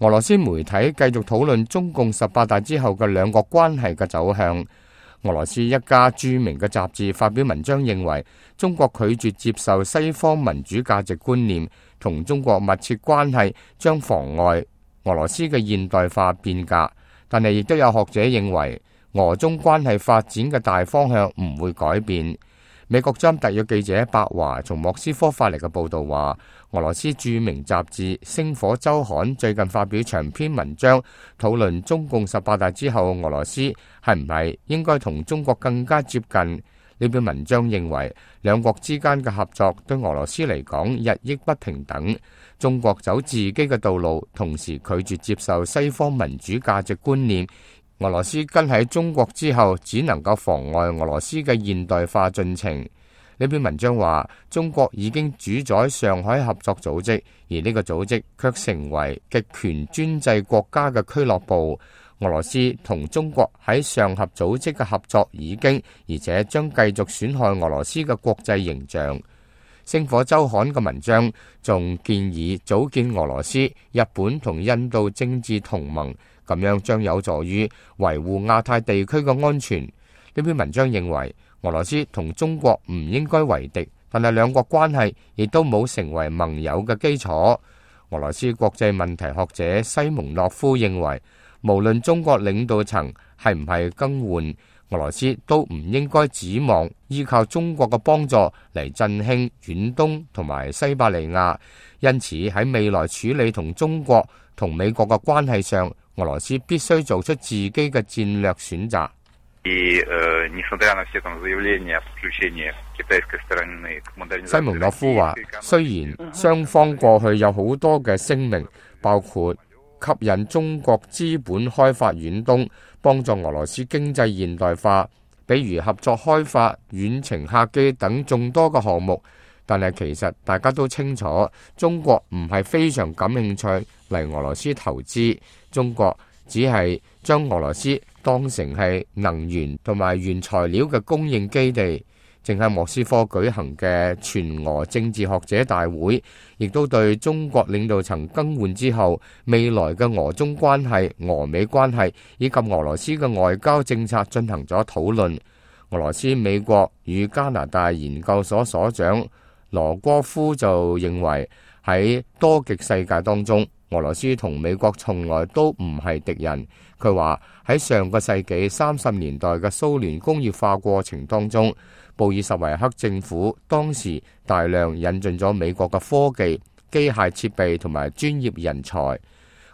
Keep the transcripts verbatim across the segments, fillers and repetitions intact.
俄羅斯媒體繼續討論中共十八大之後嘅兩國關係嘅走向。俄羅斯一家著名嘅雜誌發表文章認為，中國拒絕接受西方民主價值觀念，同中國密切關係將妨礙俄羅斯嘅現代化變革。但係亦都有學者認為，俄中關係發展嘅大方向唔會改變。美國之音特約記者白華從莫斯科發嚟嘅報道話，俄羅斯著名雜誌《星火週刊》最近發表長篇文章，討論中共十八大之後俄羅斯係唔係應該同中國更加接近。呢篇文章認為，兩國之間嘅合作對俄羅斯嚟講日益不平等。中國走自己嘅道路，同時拒絕接受西方民主價值觀念。俄羅斯跟喺中國之後，只能夠妨礙俄羅斯嘅現代化進程。呢篇文章話，中國已經主宰上海合作組織，而呢個組織卻成為極權專制國家嘅俱樂部。俄羅斯同中國喺上合組織嘅合作已經，而且將繼續損害俄羅斯嘅國際形象。星火週刊嘅文章仲建議組建俄羅斯、日本同印度政治同盟，咁樣將有助於維護亞太地區嘅安全。呢篇文章認為，俄羅斯同中國唔應該為敵，但係兩國關係亦都冇成為盟友嘅基礎。俄羅斯國際問題學者西蒙諾夫認為，無論中國領導層係唔係更換，俄羅斯都唔應該指望依靠中國嘅幫助嚟振興遠東同埋西伯利亞。因此喺未來處理同中國同美國嘅關係上，俄羅斯必須做出自己嘅戰略選擇。西蒙諾夫話，雖然雙方過去有好多嘅聲明，包括吸引中國資本開發遠東，幫助俄羅斯經濟現代化，比如合作開發遠程客機等眾多嘅項目，但係其實大家都清楚，中國唔係非常感興趣嚟俄羅斯投資。中國只係將俄羅斯當成係能源同埋原材料嘅供應基地。正喺莫斯科舉行嘅全俄政治學者大會，亦都對中國領導層更換之後未來嘅俄中關係、俄美關係以及俄羅斯嘅外交政策進行咗討論。俄羅斯美國與加拿大研究所所長羅戈夫就認為，喺多極世界當中，俄羅斯同美國從來都唔係敵人。佢話喺上個世紀三十年代嘅蘇聯工業化過程當中，布爾什維克政府當時大量引進咗美國嘅科技、機械設備同埋專業人才。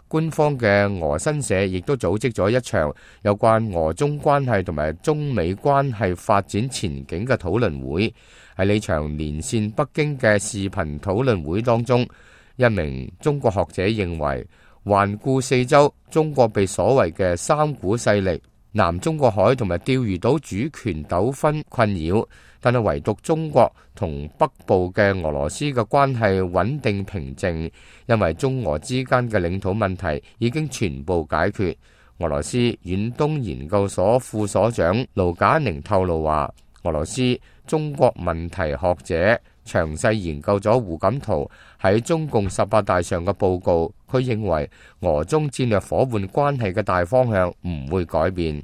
官方嘅俄新社亦都組織咗一場有關俄中關係同埋中美關係發展前景嘅討論會。喺呢場連線北京嘅視頻討論會當中，一名中國學者認為，環顧四周，中國被所謂嘅三股勢力南中國海同埋釣魚島主權糾紛困擾，但係唯獨中國同北部嘅俄羅斯嘅關係穩定平靜，因為中俄之間嘅領土問題已經全部解決。俄羅斯遠東研究所副所長盧賈寧透露話，俄羅斯中國問題學者詳細研究咗胡錦濤喺中共十八大上嘅報告，佢認為俄中戰略夥伴關係嘅大方向唔會改變。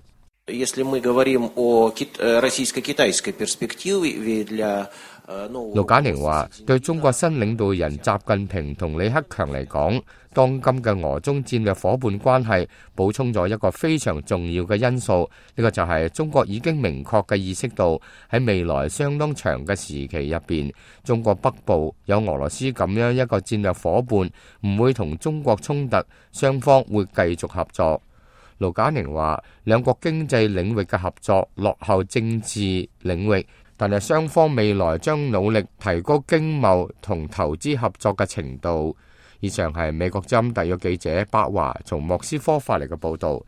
盧賈寧話，對中國新領導人習近平同李克強嚟講，當今嘅俄中戰略夥伴關係補充咗一個非常重要嘅因素，呢個就係中國已經明確嘅意識到喺未來相當長嘅時期入邊，中國北部有俄羅斯咁樣一個戰略夥伴，唔會同中國衝突，雙方會繼續合作。盧賈寧話，兩國經濟領域嘅合作落後政治領域，但係雙方未來將努力提高經貿同投資合作嘅程度。以上係美國之音特約記者白華從莫斯科發嚟嘅報道。